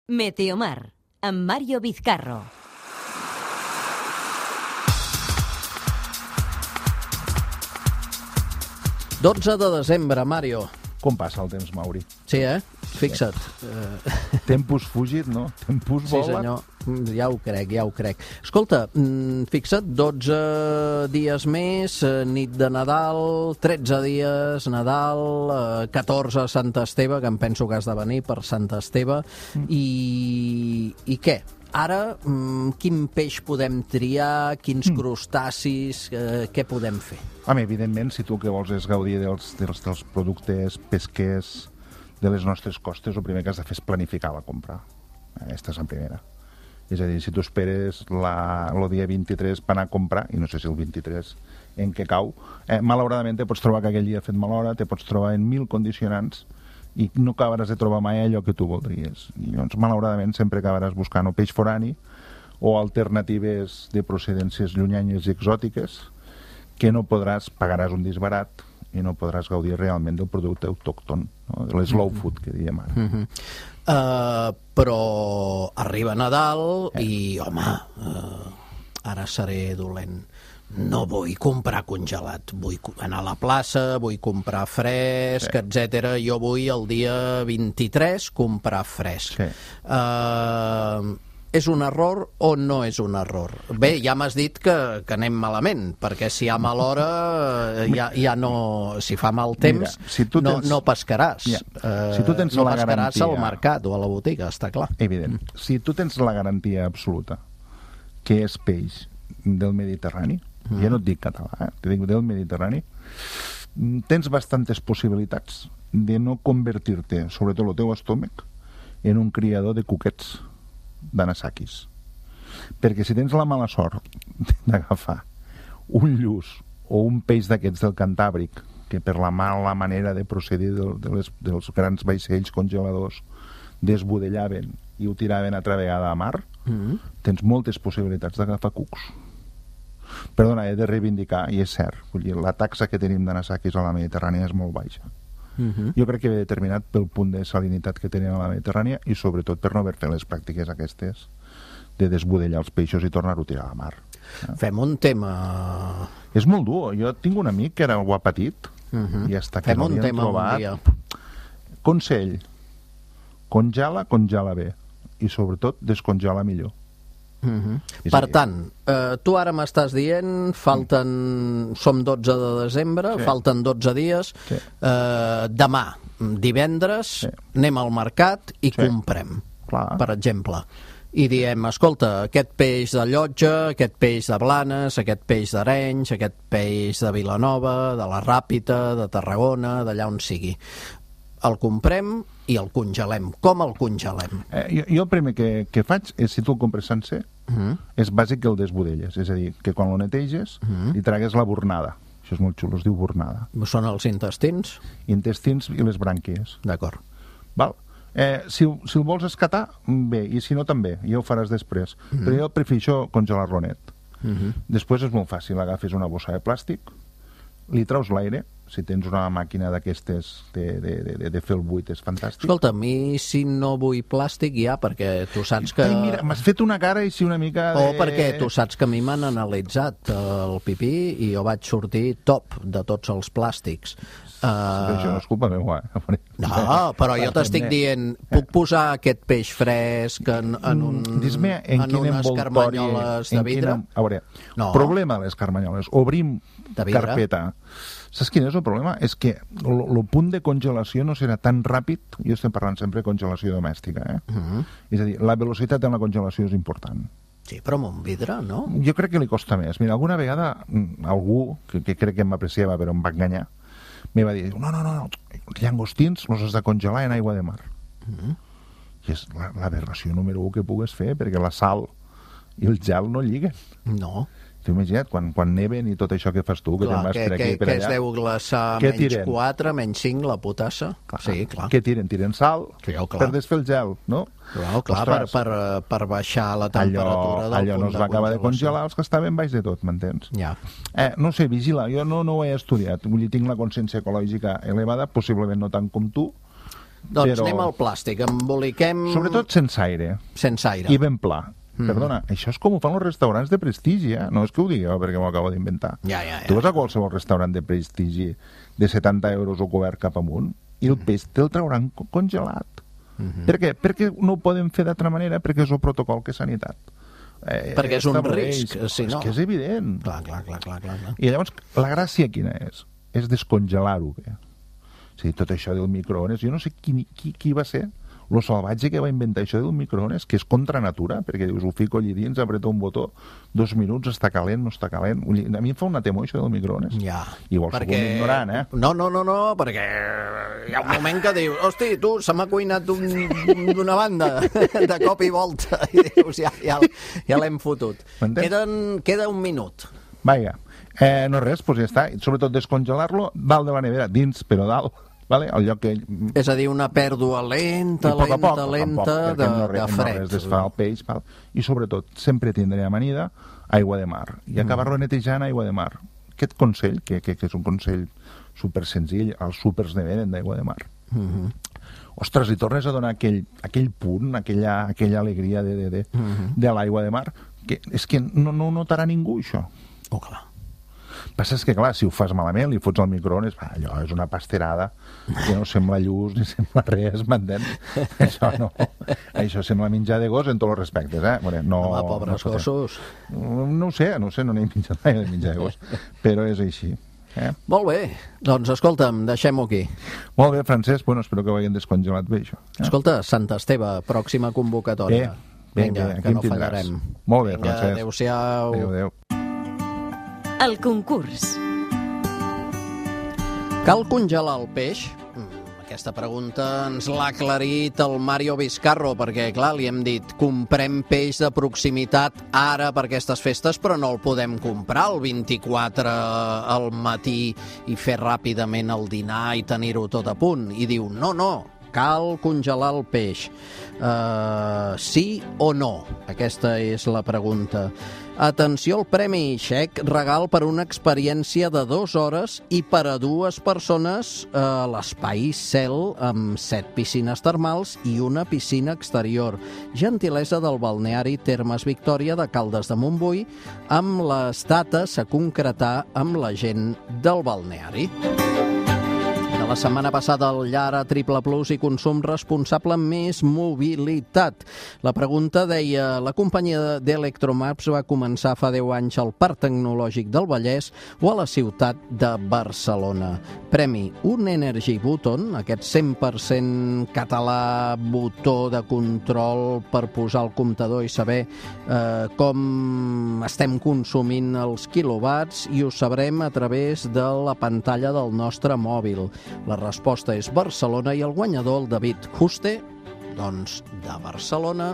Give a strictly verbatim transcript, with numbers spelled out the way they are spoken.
Meteomar, amb Mario Vizcarro. dotze de desembre, Mario. Com passa el temps, Mauri? Sí, eh? Fixa't. Sí. Tempus fugit, no? Tempus volat. Sí, senyor. Ja ho crec, ja ho crec. Escolta, fixa't, dotze dies més, nit de Nadal, tretze dies, Nadal, catorze Sant Esteve, que em penso que has de venir per Sant Esteve, mm. i, i què? Ara, quin peix podem triar, quins mm. crustacis, eh, què podem fer? Home, evidentment, si tu el que vols és gaudir dels, dels, dels productes pesquers de les nostres costes, el primer que has de fer és planificar la compra. Aquesta és la primera. És a dir, si tu esperes la, el dia vint-i-tres per anar a comprar, i no sé si el vint-i-tres en què cau, eh, malauradament te pots trobar que aquell dia ha fet mala hora, te pots trobar en mil condicionants i no acabaràs de trobar mai allò que tu voldries. I llavors, malauradament, sempre acabaràs buscant o peix forani o alternatives de procedències llunyanyes i exòtiques que no podràs, pagaràs un disbarat i no podràs gaudir realment del producte autòcton, no? De l'slow mm-hmm. food, que diem ara. Mm-hmm. Uh, però arriba Nadal eh. i, home, uh, ara seré dolent. No vull comprar congelat, vull anar a la plaça, vull comprar fresc, sí. etcètera. Jo vull el dia vint-i-tres comprar fresc. Sí. Uh, és un error o no és un error? Bé, ja m'has dit que, que anem malament, perquè si hi ha mala hora, ja, ja no... Si fa mal temps, Mira, si tens, no, no pescaràs. Ja. Uh, si tu tens no la pescaràs garantia, al mercat o a la botiga, està clar. Evident. Mm. Si tu tens la garantia absoluta que és peix del Mediterrani, mm. ja no et dic català, eh? Te dic del Mediterrani, tens bastantes possibilitats de no convertir-te, sobretot el teu estómac, en un criador de cuquets d'anasakis. Perquè si tens la mala sort d'agafar un lluç o un peix d'aquests del Cantàbric, que per la mala manera de procedir de, de les, dels grans vaixells congeladors desbudellaven i ho tiraven altra vegada a mar, mm-hmm. tens moltes possibilitats d'agafar cucs. Perdona, he de reivindicar, i és cert, vull dir, la taxa que tenim d'anasakis a la Mediterrània és molt baixa. Uh-huh. Jo crec que ve determinat pel punt de salinitat que tenen a la Mediterrània i sobretot per no haver fet les pràctiques aquestes de desbudellar els peixos i tornar-ho a tirar a la mar. Eh? Fem un tema... És molt dur. Jo tinc un amic que era algú petit uh-huh. i hasta que Fem no l'havien trobat... Consell, congela, congela bé i sobretot descongela millor. Uh-huh. Per tant, eh, tu ara m'estàs dient falten, som dotze de desembre, sí. falten dotze dies, sí. eh, demà, divendres, sí. anem al mercat i sí. comprem, Clar. per exemple, i diem, escolta, aquest peix de Llotja, aquest peix de Blanes, aquest peix d'Arenys, aquest peix de Vilanova, de la Ràpita, de Tarragona, d'allà on sigui. El comprem i el congelem. Com el congelem? Eh, jo, jo el primer que, que faig és, si tu el compres sencer, uh-huh. és bàsic que el desbudelles. És a dir, que quan lo neteges, uh-huh. li tragues la bornada. Això és molt xulo, es diu bornada. Són els intestins? Intestins i les brànquies. D'acord. Val. Eh, si, si el vols escatar, bé, i si no també, ja ho faràs després. Uh-huh. Però jo prefereixo congelar-lo net. Uh-huh. Després és molt fàcil, agafes una bossa de plàstic, li traus l'aire, si tens una màquina d'aquestes de, de, de, de fer el buit és fantàstic. Escolta, a mi si no vull plàstic ja, perquè tu saps que... Ai, mira, m'has fet una cara i si una mica de... O perquè tu saps que a mi m'han analitzat el pipí i jo vaig sortir top de tots els plàstics. Uh... Això no és culpa meva, eh? No, però jo t'estic dient, puc posar aquest peix fresc en, en, un, en, en unes carmanyoles de vidre? Quina... A veure, no. Problema de les carmanyoles. Obrim carpeta. Saps quin és el problema? És que el punt de congelació no serà tan ràpid, jo estem parlant sempre de congelació domèstica, eh? Uh-huh. És a dir, la velocitat en la congelació és important. Sí, però amb un vidre, no? Jo crec que li costa més. Mira, alguna vegada algú, que, que crec que m'apreciava però em va enganyar, me va dir, no, no, no, no, els llangostins els has de congelar en aigua de mar. Uh-huh. I és l'aberració número un que pugues fer, perquè la sal i el gel no lliguen. No. T'ho imagina't, quan, quan neven i tot això que fas tu, que clar, te'n vas que, per aquí que, per allà... Que es deu glaçar menys quatre, menys cinc, la potassa. Clar. Sí, clar. Què tiren? Tiren sal sí, per desfer el gel, no? Clar, clar per, per, per baixar la temperatura allò, del allò punt no es va acabar de congelar els que estaven baix de tot, m'entens? Ja. Eh, no sé, vigila, jo no, no ho he estudiat, vull dir, tinc la consciència ecològica elevada, possiblement no tant com tu, Doncs però... anem al plàstic, emboliquem... Sobretot sense aire. Sense aire. I ben pla. Mm. Perdona, això és com ho fan els restaurants de prestigi, eh? No és que ho digui jo perquè m'ho acabo d'inventar. Ja, ja, ja. Tu vas a qualsevol restaurant de prestigi de setanta euros o cobert cap amunt i el peix te'l trauran congelat. Mm-hmm. Per què? Perquè no ho podem fer d'altra manera, perquè és el protocol que és sanitat. Eh, perquè és un risc, si no. És que és evident. Clar, clar, clar, clar, clar. I llavors, la gràcia quina és? És descongelar-ho bé. O sigui, tot això del microones, jo no sé qui, qui, qui va ser lo salvatge que va inventar això del microones, que és contra natura, perquè dius, ho fico allí dins, apreta un botó, dos minuts, està calent, no està calent. A mi em fa una temor això del microones. Ja. Igual perquè... sóc un ignorant, eh? No, no, no, no, perquè hi ha un moment que dius, hosti, tu, se m'ha cuinat d'una un, banda, de cop i volta, i dius, ja, ja, ja l'hem fotut. Queden, queda un minut. Vaja, eh, no res, doncs ja està. Sobretot descongelar-lo dalt de la nevera, dins, però dalt. Vale? El lloc que... És a dir, una pèrdua lenta, poc lenta, poc, lenta poc, de, no res, de fred. No res desfà el peix, val? I sobretot, sempre tindré amanida aigua de mar. I acabar-lo netejant aigua de mar. Aquest consell, que, que, que és un consell super senzill, els súpers ne venen d'aigua de mar. Mm-hmm. Ostres, i tornes a donar aquell, aquell punt, aquella, aquella alegria de, de, de, mm-hmm. de l'aigua de mar, que és que no, no notarà ningú, això. Oh, clar. Passa és que, clar, si ho fas malament, li fots al microones, va, allò és una pasterada que no sembla lluç ni sembla res, m'entens? Això no. Això sembla menjar de gos en tots els respectes, eh? Bueno, no, Home, pobres no gossos. No, no ho sé, no ho sé, no n'he menjat mai de menjar de gos, però és així. Eh? Molt bé, doncs escolta'm, deixem-ho aquí. Molt bé, Francesc, bueno, espero que ho hagin descongelat bé, això. Eh? Escolta, Sant Esteve, pròxima convocatòria. Bé, bé, Vinga, bé, que no fallarem. Molt bé, Vinga, Francesc. adéu-siau. Adéu, adéu. El concurs. Cal congelar el peix? Aquesta pregunta ens l'ha aclarit el Mario Vizcarro, perquè, clar, li hem dit comprem peix de proximitat ara per aquestes festes, però no el podem comprar el vint-i-quatre al matí i fer ràpidament el dinar i tenir-ho tot a punt. I diu, no, no, cal congelar el peix. Uh, sí o no? Aquesta és la pregunta. Atenció al premi, xec regal per una experiència de dues hores i per a dues persones a l'Espai Cel amb set piscines termals i una piscina exterior. Gentilesa del balneari Termes Victòria de Caldes de Montbui, amb les dates a concretar amb la gent del balneari. La setmana passada el Llara Triple Plus i consum responsable amb més mobilitat. La pregunta deia, la companyia d'Electromaps va començar fa deu anys al Parc Tecnològic del Vallès o a la ciutat de Barcelona. Premi, un Energy Button, aquest cent per cent català botó de control per posar el comptador i saber eh, com estem consumint els quilowatts, i ho sabrem a través de la pantalla del nostre mòbil. La resposta és Barcelona i el guanyador, el David Juste, doncs de Barcelona.